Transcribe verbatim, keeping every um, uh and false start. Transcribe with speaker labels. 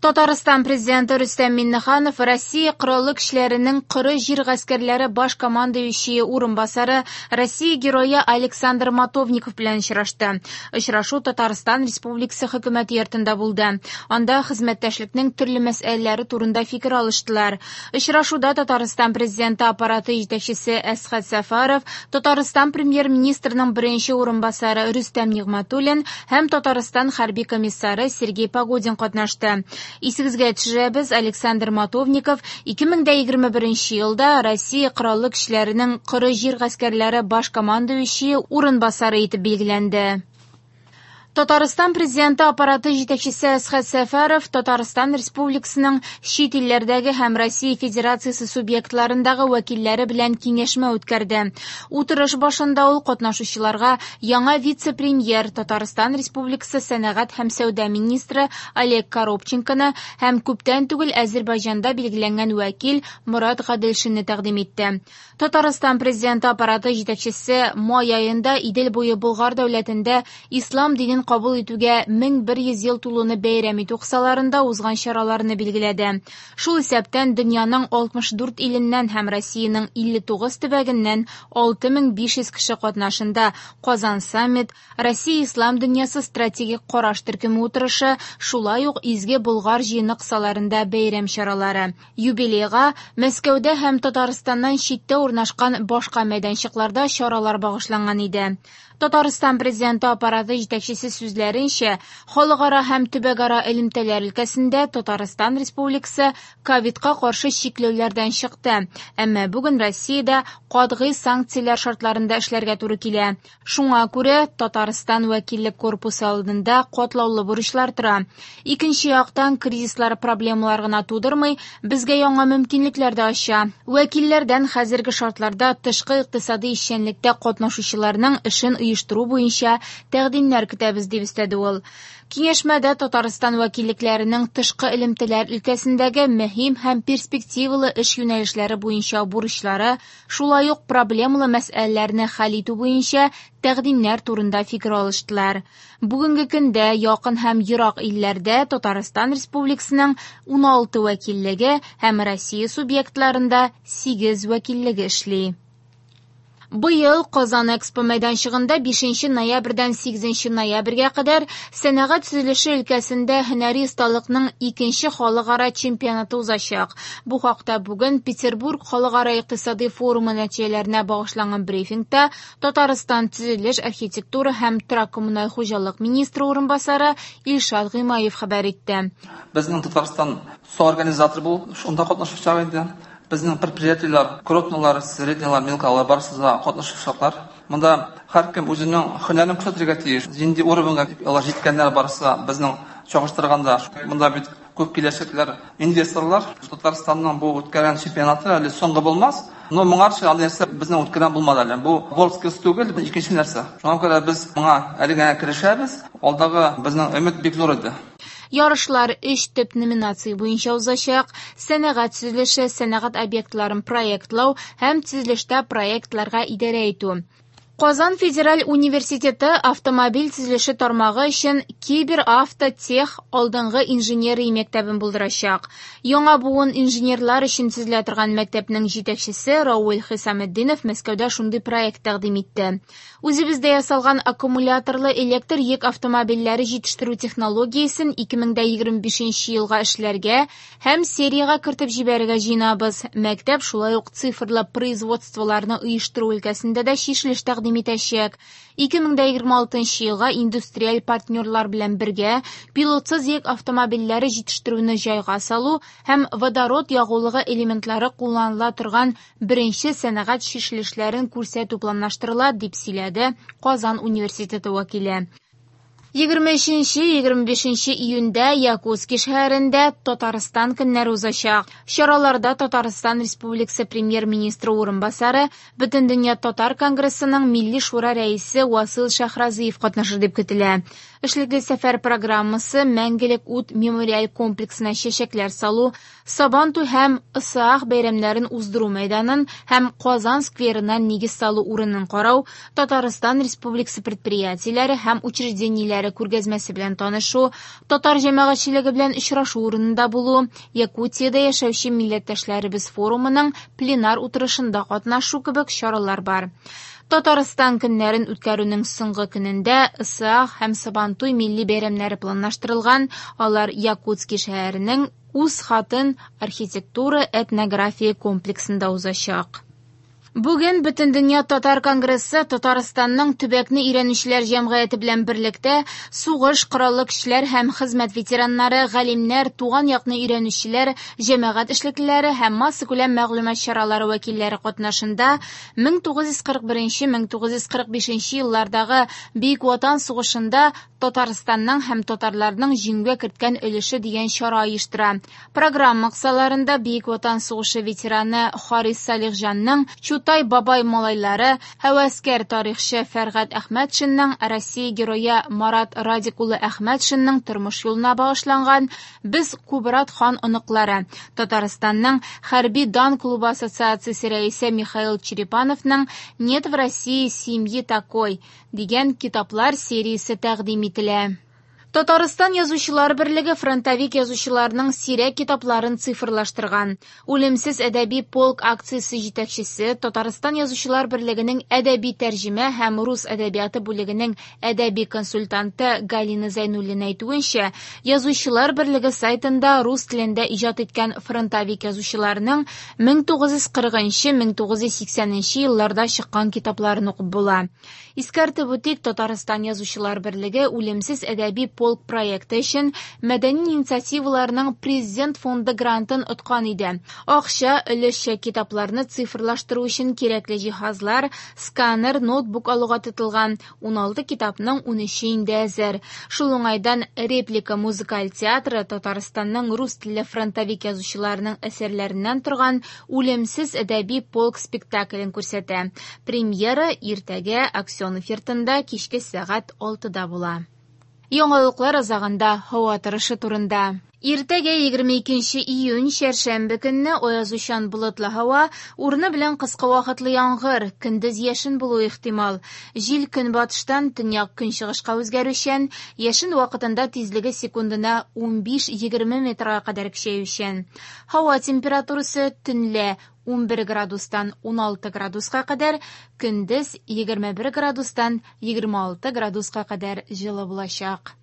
Speaker 1: Татарстан президенты Рөстәм Миңнеханов Россия Кораллы көчләренең Коры җир гаскәрләре баш командующие урынбасары, Россия герое Александр Матовников белән очрашты. Очрашу Татарстан Республикасы хөкүмәте йортында булды. Анда хезмәттәшлекнең төрле мәсьәләләре турында фикер алыштылар. Очрашуда Татарстан президенты аппараты җитәкчесе Әсхәт Сәфәров, Татарстан премьер-министрының беренче урынбасары Рөстәм Нигъмәтуллин һәм Татарстан хәрби комиссары Сергей Погодин катнашты. Исегезгә төшерәбез, Александр Матовников ике мең дә егерме беренче елда Россия Кораллы көчләренең Коры җир гаскәрләре баш командующие урынбасары итеп билгеләнде. Татарстан президенты аппараты җитәкчесе Әсхәт Сәфәров Татарстан Республикасының чит илләрдәге һәм Россия Федерациясе субъектларындагы вәкилләре белән киңәшмә үткәрде. Утырыш башында ул катнашучыларга яңа вице-премьер Татарстан Республикасы сәнәгать һәм сәүдә министры Олег Коробченконы һәм күптән түгел Азербайҗанда билгеләнгән вәкил Мурат Гаделшинны тәкъдим итте. Татарстан президенты аппараты җитәкчесе май аенда Идел буе Болгар дәүләтендә ислам динен кабул итүгә мең бер йөз ел тулуны бәйрәм итү кысаларында узган чараларны билгеләде. Шул исәптән дөньяның алтмыш дүрт иленнән һәм Россиянең илле тугыз төбәгеннән алты мең биш йөз кеше катнашында Казан саммит, Россия ислам дөньясы стратегик караш төркеме утырышы, шулай ук Изге Болгар җыены кысаларында бәйрәм чаралары. Юбилейга Мәскәүдә һәм Татарстаннан читтә урнашкан башка мәйданчыкларда чаралар багышланган иде. Татарстан президенты аппараты җитәкчесе сүзләренчә, халыкара һәм төбәкара элемтәләр өлкәсендә Татарстан Республикасы ковидка каршы чикләүләрдән чыкты. Әмма бүген Россиядә катгый санкцияләр шартларында эшләргә туры килә. Шуңа күрә Татарстан вәкиллек корпусы алдында катлаулы бурычлар тора. Икенче яктан кризислар проблемалар гына тудырмый, безгә яңа мөмкинлекләр дә ача. Вәкилләрдән хәзерге шартларда тышкы икътисади эшчәнлектә катнашучыларның эшен оештыру буенча тәкъдимнәр көтәбез, дип өстәде ул. Киңәшмәдә Татарстан вәкиллекләренең тышкы элемтәләр өлкәсендәге мөһим һәм перспективалы эш юнәлешләре буенча бурычлары, шулай ук проблемалы мәсьәләләрне хәл итү буенча тәкъдимнәр турында фикер алыштылар. Бүгенге көндә якын һәм ерак илләрдә Татарстан Республикасының уналты вәкиллеге һәм Россия субъектларында сигез вәкиллеге эшли. Быел Казан Экспо мәйданчыгында бишенче ноябрьдән сигезенче ноябрьгә кадәр сәнәгать төзелеше өлкәсендә һөнәри осталыкның икенче халыкара чемпионаты узачак. Бу хакта бүген Петербург халыкара икътисади форумы нәтиҗәләренә багышланган брифингта Татарстан төзелеш, архитектура һәм торак коммуналь хуҗалык министры урынбасары Илшат Гыймаев хәбәр итте.
Speaker 2: Безнең Татарстан соорганизатор булып шунда катнашачак инде. Безнең предприятиеләр, крупныйлар, среднийлар, мелкалар барысы да катнашачаклар. Монда һәркем үзенең һөнәрен күрсәтергә тиеш. Нинди уровеньга алар җиткәннәр барысы да безнең чагыштырганда монда бит күп киләчәкләр инвесторлар. Татарстанның бу үткәргән чемпионаты әле соңгы булмас. Но моңарчы андый нәрсә безнең үткәргән булмады әле. Бу WorldSkills түгел, бу икенче нәрсә. Шуңа күрә без моңа әле генә керешәбез. Алдагы безнең өмет бик зур иде.
Speaker 1: Ярышлар өч төп номинация буенча узачак: сәнәгать төзелеше, сәнәгать объектларын проектлау һәм төзелештә проектларга идарә итү. Казан федераль университеты автомобиль төзелеше тармагы өчен кибер-автотех алдынгы инженерия мәктәбен булдырачак. Яңа буын инженерлар өчен төзелә торган мәктәпнең җитәкчесе Рауль Хисаметдинов Мәскәүдә шундый проект тәкъдим итте. Үзебездә ясалган аккумуляторлы электр йөк автомобильләре җитештерү технологиясен ике мең дә егерме бишенче елга эшләргә һәм сериягә кертеп җибәрергә җыенабыз. Мәктәп шулай ук цифрлы производстволарны оештыру өлкәсендә дә чишелеш тәкъдим итәчәк. Ике мең дә егерме алтынчы елга индустриаль партнерлар белән бергә пилотсыз йөк автомобильләре җитештерүне җайга салу һәм водород ягулыгы элементлары кулланыла торган беренче сәнәгать чишелешләрен күрсәтү планлаштырыла, дип сөйләде Казан университеты вәкиле. Егерме өченче, егерме бишенче июньдә Якутски шәһәрендә Татарстан көннәре узачак. Чараларда Татарстан Республикасы премьер-министры урынбасары, Бөтендөнья Татар конгрессының Милли шура рәисе Васил Шәйхразиев катнашыр дип көтелә. Эшлекле сәфәр программасы Мәңгелек ут мемориаль комплексына чәчәкләр салу, Сабантуй һәм Ысыах бәйрәмнәрен уздыру мәйданын һәм Казан скверына нигез салу урынын карау, Татарстан Республикасы предприятиеләре һәм учреждениеләре күргәзмәсе белән танышу, татар җәмәгатьчелеге белән очрашу урынында булу, Якутиядә яшәүче милләттәшләребез форумының пленар утырышында катнашу кебек чаралар бар. Татарстан көннәрен үткәрүнең соңгы көнендә Ысыах һәм Сабантуй милли бәйрәмнәре планлаштырылган. Алар Якутски шәһәренең Үз хатын архитектура этнография комплексында узачак. Бүген Бөтендөнья татар конгрессы Татарстанның төбәкне өйрәнүчеләр җәмгыяте белән берлектә сугыш, кораллы көчләр һәм хезмәт ветераннары, галимнәр, туган якны өйрәнүчеләр, җәмәгать эшлеклеләре һәм массакүләм мәгълүмат чаралары вәкилләре катнашында мең тугыз йөз кырык беренче мең тугыз йөз кырык бишенче еллардагы Бөек Ватан сугышында Татарстанның һәм татарларның җиңүгә керткән өлеше дигән чара оештыра. Программа кысаларында Бөек Ватан сугышы ветераны Харис Салихҗанның Чутай бабай малайлары, һәвәскәр тарихчы Фәргать Әхмәтшинның, Россия герое Марат Радик улы Әхмәтшинның тормыш юлына багышланган Без Кубрат хан оныклары, Татарстанның Хәрби дан клубы ассоциациясе рәисе Михаил Черепановның Нет в России семьи такой дигән китаплар сериясе тәкъдим ителә. Татарстан язучылар берлеге фронтовик язучыларның сирәк китапларын цифрлаштырган. Үлемсез әдәби полк акциясе җитәкчесе, Татарстан язучылар берлегенең әдәби тәрҗемә һәм рус әдәбияты бүлегенең әдәби консультанты Галина Зайнуллина әйтүенчә, язучылар берлеге сайтында рус телендә иҗат иткән фронтовик язучыларның мең тугыз йөз кырыгынчы мең тугыз йөз сиксәненче елларда чыккан китапларын укып була. Искәртеп үтик, Татарстан язучылар берлеге Үлемсез әдәби полк проекты өчен мәдәни инициативаларның Президент фонды грантын откан иде. Акча өлешчә китапларны цифрлаштыру өчен кирәкле җиһазлар, сканер, ноутбук алуга тотылган. Уналты китапның унөче инде әзер. Шул уңайдан Реплика музыкаль театры Татарстанның рус телле фронтовик язучыларының әсәрләреннән торган Үлемсез әдәби полк спектаклен күрсәтә. Премьера иртәгә Аксенов йортында кичке сәгать алтыда була. Яңалыклар азагында һава торышы турында. Иртәгә егерме икенче июнь чәршәмбе көнне аязучан болытлы һава, урыны белән кыска вакытлы яңгыр, көндез яшен булуы ихтимал. Җил көнбатыштан төньяк көнчыгышка үзгәрүчән, яшен вакытында тизлеге секундына унбиш-егерме метрга кадәр көчәючән. Һава температурасы төнлә унбер градустан уналты градуска кадәр, көндез егерме бер градустан егерме алты градуска кадәр җылы булачак.